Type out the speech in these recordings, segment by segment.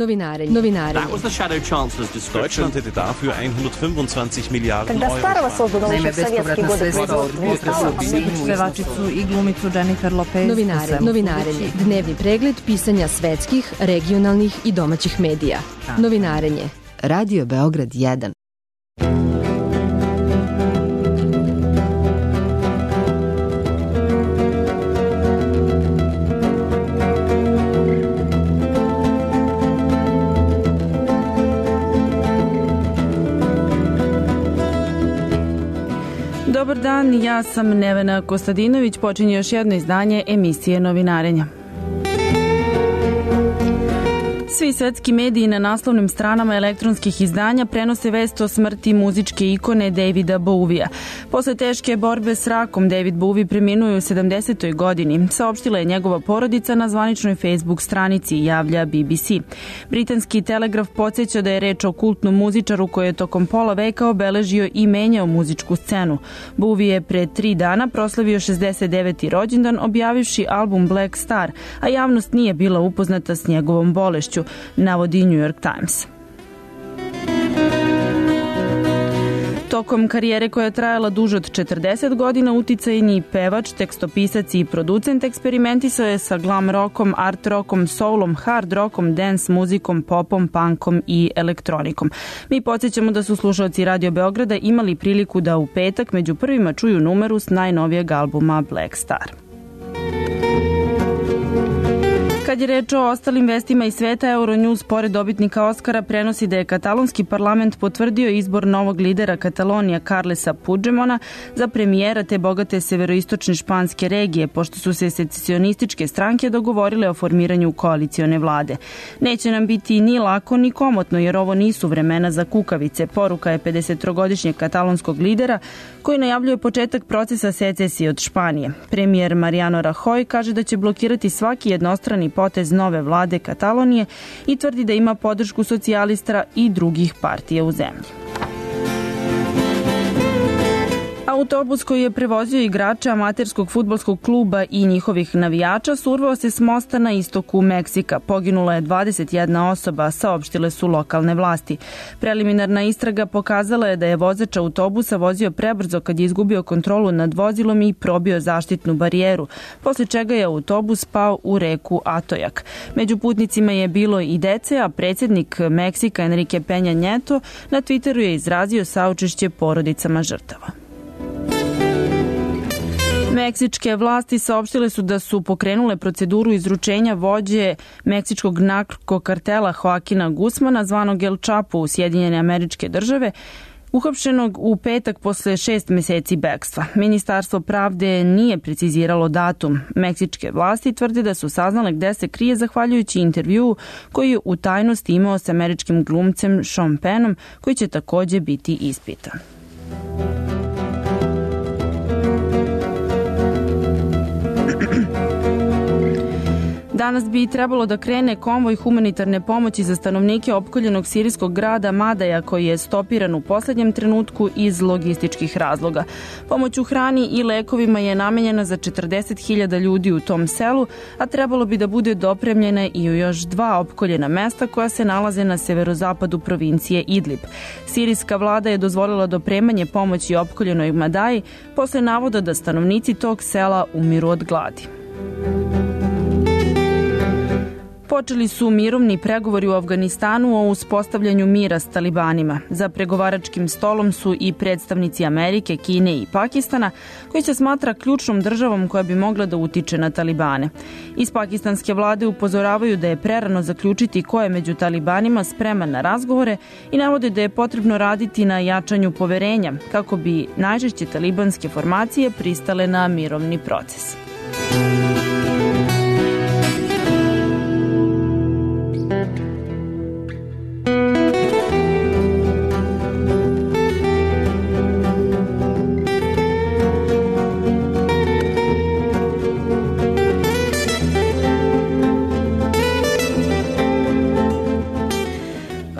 That was the shadow chancellor's description. Deutschland hätte dafür 125 Milijarden Когда старого Euro. создано еще в советские годы производства. Pevačicu i glumicu Jennifer Lopez. Novinarenje. Dnevni pregled pisanja svetskih, regionalnih i domaćih medija. Novinarenje. Radio Beograd 1. Dobar dan, ja sam Nevena Kostadinović, počinje još jedno izdanje emisije Novinarenja. Svi svetski mediji na naslovnim stranama elektronskih izdanja prenose vest o smrti muzičke ikone Davida Bowiea. Posle teške borbe s rakom, David Bowie preminuo je u 70. godini, saopštila je njegova porodica na zvaničnoj Facebook stranici, javlja BBC. Britanski Telegraf podsjeća da je reč o kultnom muzičaru koji je tokom pola veka obeležio i menjao muzičku scenu. Bowie je pre 3 dana proslavio 69. rođendan objavivši album Black Star, a javnost nije bila upoznata s njegovom bolešću, navodi New York Times. Tokom karijere koja je trajala duže od 40 godina, uticajni pevač, tekstopisac i producent eksperimentisao je sa glam rockom, art rockom, soulom, hard rockom, dance muzikom, popom, punkom i elektronikom. Mi podsjećamo da su slušalci Radio Beograda imali priliku da u petak među prvima čuju numeru s najnovijeg albuma Black Star. Kad je reč o ostalim vestima iz sveta, Euronews pored dobitnika Oskara prenosi da je katalonski parlament potvrdio izbor novog lidera Katalonija Carlesa Puigdemona za premijera te bogate severoistočne španske regije, pošto su se secesionističke stranke dogovorile o formiranju koalicione vlade. Neće nam biti ni lako ni komotno, jer ovo nisu vremena za kukavice, poruka je 53-godišnjeg katalonskog lidera koji najavljuje početak procesa secesije od Španije. Premijer Mariano Rajoy kaže da će blokirati svaki jednostrani potez nove vlade Katalonije i tvrdi da ima podršku socijalista i drugih partija u zemlji. Autobus koji je prevozio igrače amaterskog fudbalskog kluba i njihovih navijača survao se s mosta na istoku Meksika. Poginula je 21 osoba, saopštile su lokalne vlasti. Preliminarna istraga pokazala je da je vozač autobusa vozio prebrzo kad je izgubio kontrolu nad vozilom i probio zaštitnu barijeru, posle čega je autobus pao u reku Atojak. Među putnicima je bilo i dece, a predsjednik Meksika Enrique Peña Nieto na Twitteru je izrazio saučešće porodicama žrtava. Meksičke vlasti saopštile su da su pokrenule proceduru izručenja vođe meksičkog narkokartela Joaquina Guzmana, zvanog El Chapo u Sjedinjene Američke Države, uhapšenog u petak posle 6 meseci bekstva. Ministarstvo pravde nije preciziralo datum. Meksičke vlasti tvrde da su saznale gde se krije zahvaljujući intervjuu koji je u tajnosti imao sa američkim glumcem Sean Pennom, koji će takođe biti ispitan. Danas bi trebalo da krene konvoj humanitarne pomoći za stanovnike opkoljenog sirijskog grada Madaja, koji je stopiran u poslednjem trenutku iz logističkih razloga. Pomoć u hrani i lekovima je namenjena za 40.000 ljudi u tom selu, a trebalo bi da bude dopremljena i u još 2 opkoljena mesta koja se nalaze na severozapadu provincije Idlib. Sirijska vlada je dozvolila dopremanje pomoći opkoljenoj Madaji posle navoda da stanovnici tog sela umiru od gladi. Počeli su mirovni pregovori u Afganistanu o uspostavljanju mira s talibanima. Za pregovaračkim stolom su i predstavnici Amerike, Kine i Pakistana, koji se smatra ključnom državom koja bi mogla da utiče na talibane. Iz pakistanske vlade upozoravaju da je prerano zaključiti ko je među talibanima spreman na razgovore i navode da je potrebno raditi na jačanju poverenja kako bi najžešće talibanske formacije pristale na mirovni proces.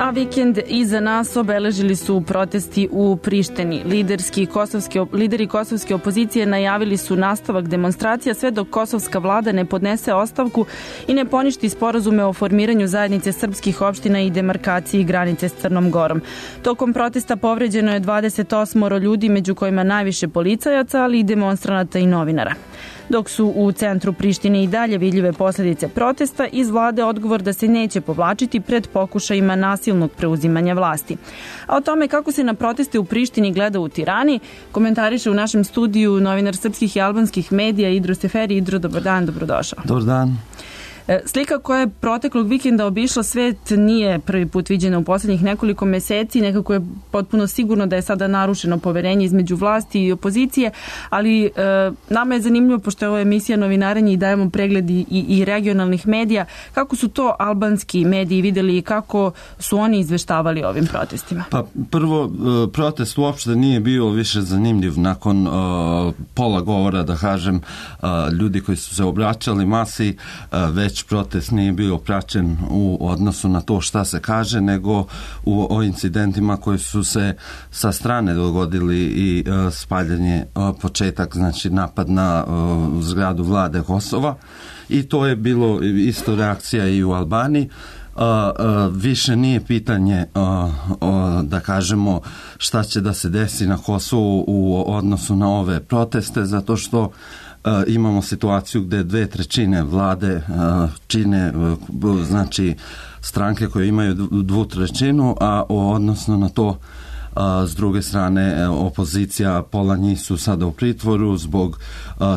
A vikend iza nas obeležili su protesti u Prištini. Lideri kosovske opozicije najavili su nastavak demonstracija sve dok kosovska vlada ne podnese ostavku i ne poništi sporazume o formiranju zajednice srpskih opština i demarkaciji granice s Crnom Gorom. Tokom protesta povređeno je 28 ljudi, među kojima najviše policajaca, ali i demonstranata i novinara. Dok su u centru Prištine i dalje vidljive posljedice protesta, iz vlade odgovor da se neće povlačiti pred pokušajima nasilnog preuzimanja vlasti. A o tome kako se na proteste u Prištini gleda u Tirani, komentariše u našem studiju novinar srpskih i albanskih medija Idro Seferi. Idro, dobar dan, dobrodošao. Dobar dan. Slika koja je proteklog vikenda obišla svet nije prvi put viđena u posljednjih nekoliko meseci. Nekako je potpuno sigurno da je sada narušeno poverenje između vlasti i opozicije, ali nama je zanimljivo, pošto je ovo emisija Novinarenje i dajemo pregled i regionalnih medija, kako su to albanski mediji vidjeli i kako su oni izveštavali o ovim protestima? Pa prvo, protest uopšte nije bio više zanimljiv nakon pola govora, da kažem, ljudi koji su se obraćali masi, već protest nije bio praćen u odnosu na to šta se kaže, nego o incidentima koji su se sa strane dogodili i spaljanje, početak, znači napad na zgradu vlade Kosova, i to je bilo isto reakcija i u Albaniji. Više nije pitanje da kažemo šta će da se desi na Kosovu u odnosu na ove proteste, zato što imamo situaciju gdje 2/3 vlade čine, znači, stranke koje imaju 2/3, a odnosno na to s druge strane opozicija, pola njih su sada u pritvoru zbog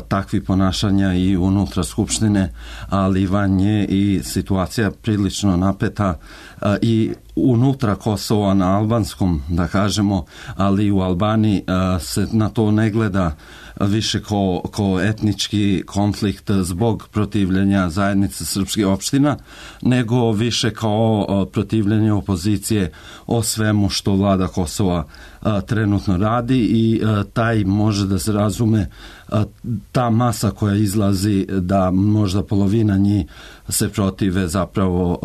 takvih ponašanja i unutra skupštine, ali i van nje, i situacija prilično napeta i unutra Kosova na albanskom, da kažemo, ali i u Albaniji se na to ne gleda više kao etnički konflikt zbog protivljenja zajednice srpskih opština, nego više kao protivljenje opozicije o svemu što vlada Kosova trenutno radi, i taj može da se razume ta masa koja izlazi, da možda polovina njih se protive zapravo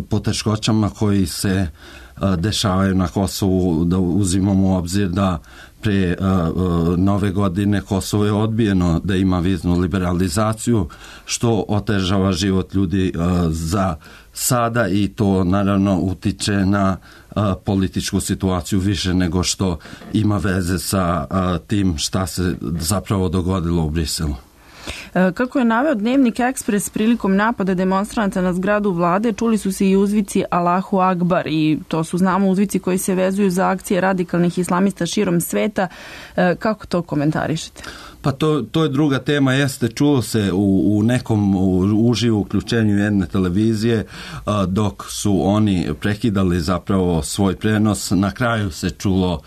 poteškoćama koji se dešavaju na Kosovu. Da uzimamo u obzir da pre nove godine Kosovo je odbijeno da ima viznu liberalizaciju, što otežava život ljudi za sada, i to naravno utiče na političku situaciju više nego što ima veze sa tim šta se zapravo dogodilo u Briselu. Kako je naveo Dnevnik Ekspres, prilikom napada demonstranata na zgradu vlade čuli su se i uzvici Allahu Akbar, i to su, znamo, uzvici koji se vezuju za akcije radikalnih islamista širom sveta. Kako to komentarišete? Pa to je druga tema, jeste, čulo se u nekom uživo uključenju jedne televizije, dok su oni prekidali zapravo svoj prenos. Na kraju se čulo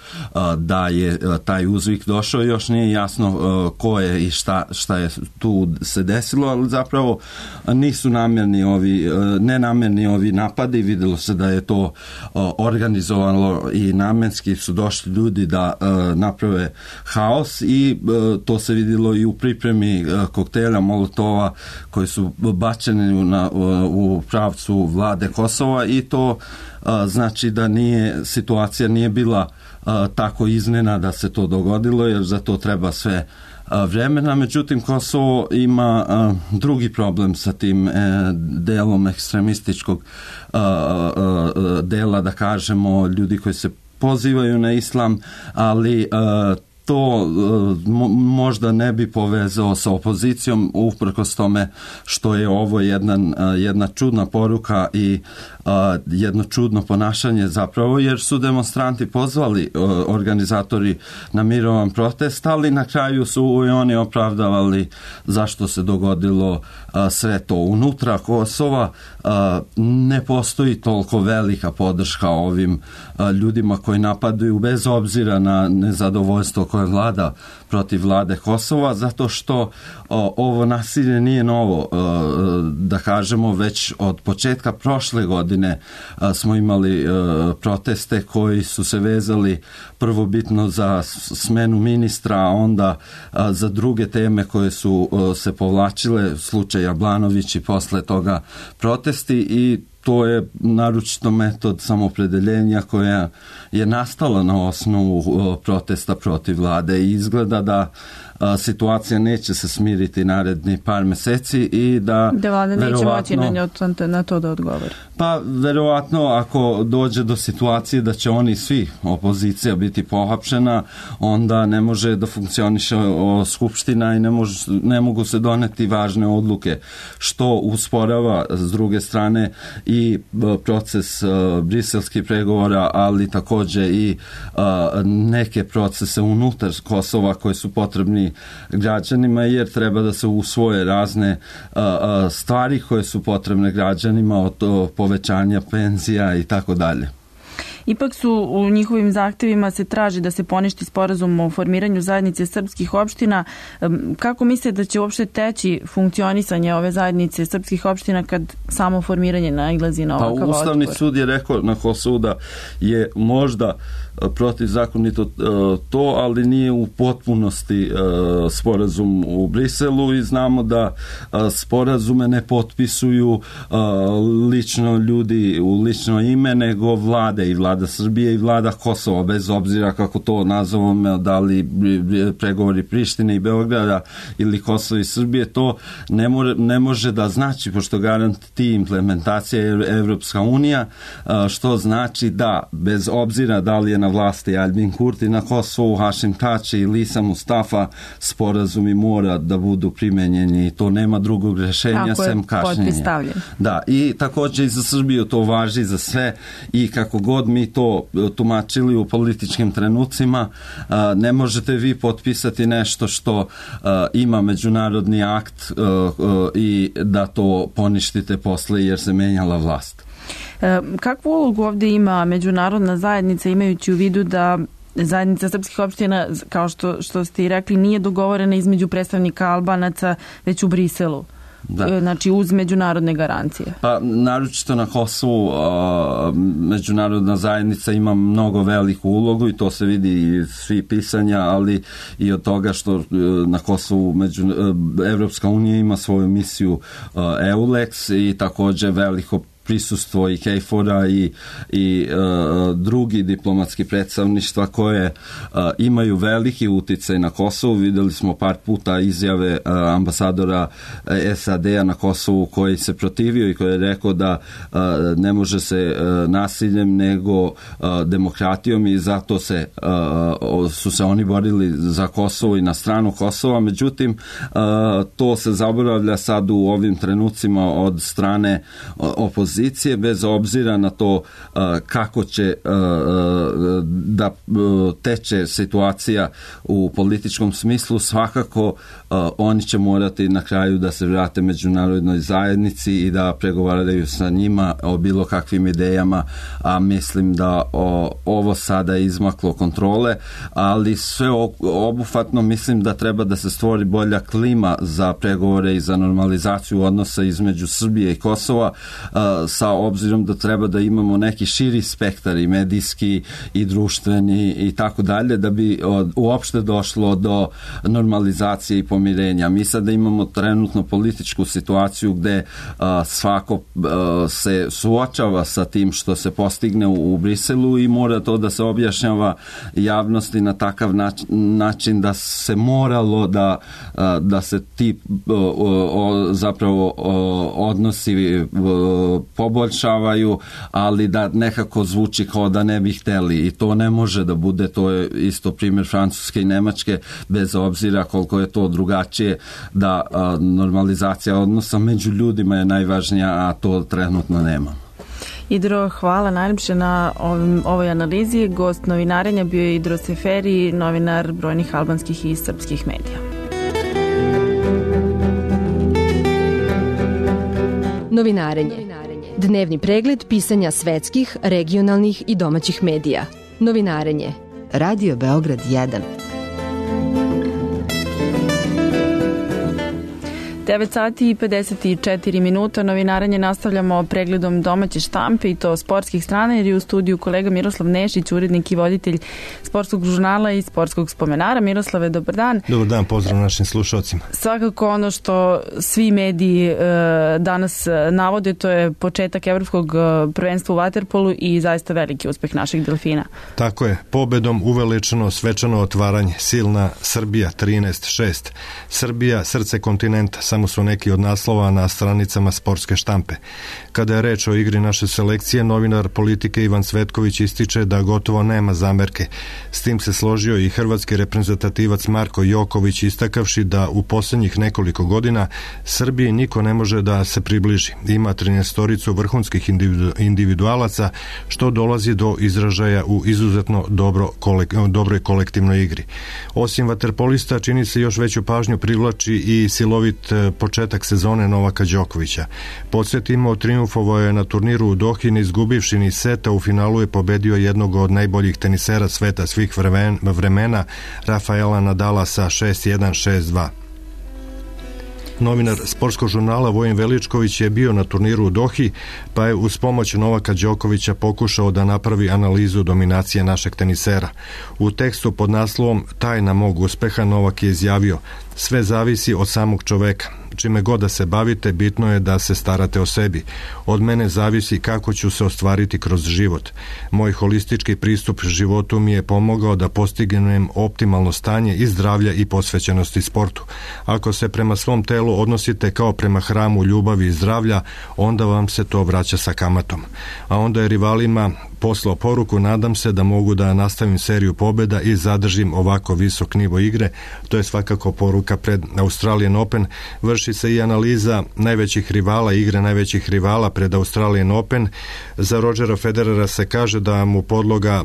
da je taj uzvik došao, još nije jasno ko je i šta je tu se desilo, ali zapravo nisu nenamjerni ovi napadi. Vidjelo se da je to organizovano i namenski su došli ljudi da naprave haos, i to se vidjelo i u pripremi koktela Molotova koji su bačeni u pravcu vlade Kosova, i to znači da situacija nije bila tako iznena da se to dogodilo, jer za to treba sve vremena. Međutim, Kosovo ima drugi problem sa tim delom ekstremističkog dela, da kažemo, ljudi koji se pozivaju na islam, ali to možda ne bi povezao sa opozicijom, uprkos tome što je ovo jedna čudna poruka i jedno čudno ponašanje zapravo, jer su demonstranti pozvali organizatori na mirovan protest, ali na kraju su i oni opravdavali zašto se dogodilo sve to. Unutra Kosova ne postoji toliko velika podrška ovim ljudima koji napadaju, bez obzira na nezadovoljstvo koje vlada protiv vlade Kosova, zato što ovo nasilje nije novo, da kažemo, već od početka prošle godine smo imali proteste koji su se vezali prvobitno za smenu ministra, a onda za druge teme koje su se povlačile, slučaj Jablanović i posle toga protesti, i to je naročito metod samopredeljenja koja je nastala na osnovu protesta protiv vlade i izgleda da situacija neće se smiriti naredni par meseci i da vlada neće moći na to da odgovori. Pa verovatno ako dođe do situacije da će oni svi opozicija biti pohapšena, onda ne može da funkcioniše skupština i ne mogu se doneti važne odluke, što usporava s druge strane i proces briselskih pregovora, ali takođe i neke procese unutar Kosova koji su potrebni građanima, jer treba da se usvoje razne stvari koje su potrebne građanima, od povećanja penzija i tako dalje. Ipak su u njihovim zahtevima se traži da se poništi sporazum o formiranju zajednice srpskih opština. Kako misle da će uopšte teći funkcionisanje ove zajednice srpskih opština kad samo formiranje nailazi na ovakav otpor? Ustavni sud je rekao na Kosovu da je možda protivzakonito to, ali nije u potpunosti sporazum u Briselu i znamo da sporazume ne potpisuju lično ljudi u lično ime, nego vlade, i vlada Srbije i vlada Kosova, bez obzira kako to nazovemo, da li pregovori Prištine i Beograda ili Kosova i Srbije, to ne može da znači, pošto garanti implementacija Evropska unija, što znači da bez obzira da li je na vlasti Aljbin Kurti na Kosovu, Hašim Tači i Lisa Mustafa, sporazumi mora da budu primenjeni i to nema drugog rešenja sem kašnjenja. Da, i također i za Srbiju to važi za sve i kako god mi to tumačili u političkim trenucima, ne možete vi potpisati nešto što ima međunarodni akt i da to poništite posle jer se menjala vlast. Kakvu ulogu ovdje ima međunarodna zajednica, imajući u vidu da zajednica srpskih opština, kao što ste i rekli, nije dogovorena između predstavnika Albanaca, već u Briselu? Da. Znači uz međunarodne garancije. Pa naročito na Kosovu međunarodna zajednica ima mnogo veliku ulogu i to se vidi iz svih pisanja, ali i od toga što na Kosovu Evropska unija ima svoju misiju EULEX i također veliko prisustvo i KFOR-a i drugi diplomatski predstavništva koje imaju veliki uticaj na Kosovu. Videli smo par puta izjave ambasadora SAD-a na Kosovu koji se protivio i koji je rekao da ne može se nasiljem nego demokratijom i zato su se oni borili za Kosovo i na stranu Kosova. Međutim, to se zaboravlja sad u ovim trenucima od strane opozicije, bez obzira na to kako će da teče situacija u političkom smislu. Svakako oni će morati na kraju da se vrate međunarodnoj zajednici i da pregovaraju sa njima o bilo kakvim idejama, a mislim da ovo sada je izmaklo kontrole, ali sve obuhvatno mislim da treba da se stvori bolja klima za pregovore i za normalizaciju odnosa između Srbije i Kosova, sa obzirom da treba da imamo neki širi spektar i medijski i društveni i tako dalje, da bi uopšte došlo do normalizacije i pomirenja. Mi sada imamo trenutno političku situaciju gde svako se suočava sa tim što se postigne u Briselu i mora to da se objašnjava javnosti na takav način da se moralo da se ti zapravo odnosi poboljšavaju, ali da nekako zvuči kao da ne bi hteli i to ne može da bude. To je isto primjer Francuske i Nemačke, bez obzira koliko je to drugačije, da normalizacija odnosa među ljudima je najvažnija, a to trenutno nema. Idro, hvala najljepše na ovoj analizi. Gost novinarenja bio je Idro Seferi, novinar brojnih albanskih i srpskih medija. Novinarenje. Dnevni pregled pisanja svetskih, regionalnih i domaćih medija. Novinarenje. Radio Beograd 1. 9 sati i 54 minuta. Novinarenje nastavljamo pregledom domaće štampe i to sportskih strana, jer je u studiju kolega Miroslav Nešić, urednik i voditelj sportskog žurnala i sportskog spomenara. Miroslave, dobar dan. Dobar dan, pozdrav našim slušalcima. Svakako ono što svi mediji danas navode, to je početak evropskog prvenstva u vaterpolu i zaista veliki uspeh naših delfina. Tako je, pobedom uveličano svečano otvaranje, silna Srbija 13-6. Srbija, srce kontinenta, samo su neki od naslova na stranicama sportske štampe. Kada je reč o igri naše selekcije, novinar politike Ivan Cvetković ističe da gotovo nema zamerke. S tim se složio i hrvatski reprezentativac Marko Joković, istakavši da u posljednjih nekoliko godina Srbiji niko ne može da se približi. Ima 13 vrhunskih individualaca, što dolazi do izražaja u izuzetno dobroj kolektivnoj igri. Osim vaterpolista, čini se još veću pažnju privlači i silovit početak sezone Novaka Đokovića. Podsjetimo, triumfovao je na turniru u Dohi, ne izgubivši ni seta, u finalu je pobedio jednog od najboljih tenisera sveta svih vremena, Rafaela Nadala sa 6-1, 6-2. Novinar sportskog žurnala Vojin Veličković je bio na turniru u Dohi, pa je uz pomoć Novaka Đokovića pokušao da napravi analizu dominacije našeg tenisera. U tekstu pod naslovom Tajna mog uspeha Novak je izjavio: sve zavisi od samog čoveka. Čime god da se bavite, bitno je da se starate o sebi. Od mene zavisi kako ću se ostvariti kroz život. Moj holistički pristup životu mi je pomogao da postignem optimalno stanje i zdravlja i posvećenosti sportu. Ako se prema svom telu odnosite kao prema hramu ljubavi i zdravlja, onda vam se to vraća sa kamatom. A onda je rivalima poslao poruku: nadam se da mogu da nastavim seriju pobjeda i zadržim ovako visok nivo igre. To je svakako poruka pred Australian Open. Vrši se i analiza najvećih rivala, igre najvećih rivala pred Australian Open. Za Rodgera Federera se kaže da mu podloga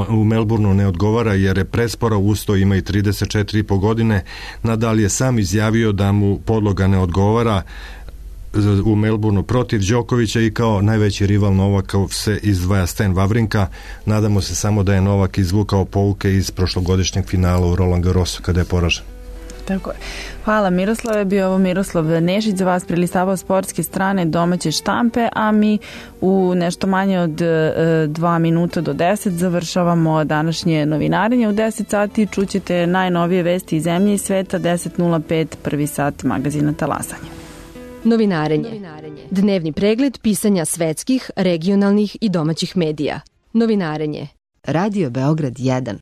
u Melbourneu ne odgovara jer je prespora, usto ima i 34,5 godine. Nadal je sam izjavio da mu podloga ne odgovara u Melbourneu protiv Đokovića i kao najveći rival Novaka se izdvaja Stan Wawrinka. Nadamo se samo da je Novak izvukao pouke iz prošlogodišnjeg finala u Roland Garrosu kada je poražen. Tako je. Hvala Miroslave, bio ovo Miroslav Nešić za vas prelistavao sportske strane domaće štampe, a mi u nešto manje od 2 minuta do 10 završavamo današnje novinarenje. U 10 sati čućete najnovije vesti iz zemlje i sveta, 10:05 prvi sat magazina Talasanje. Novinarenje. Dnevni pregled pisanja svetskih, regionalnih i domaćih medija. Novinarenje. Radio Beograd 1.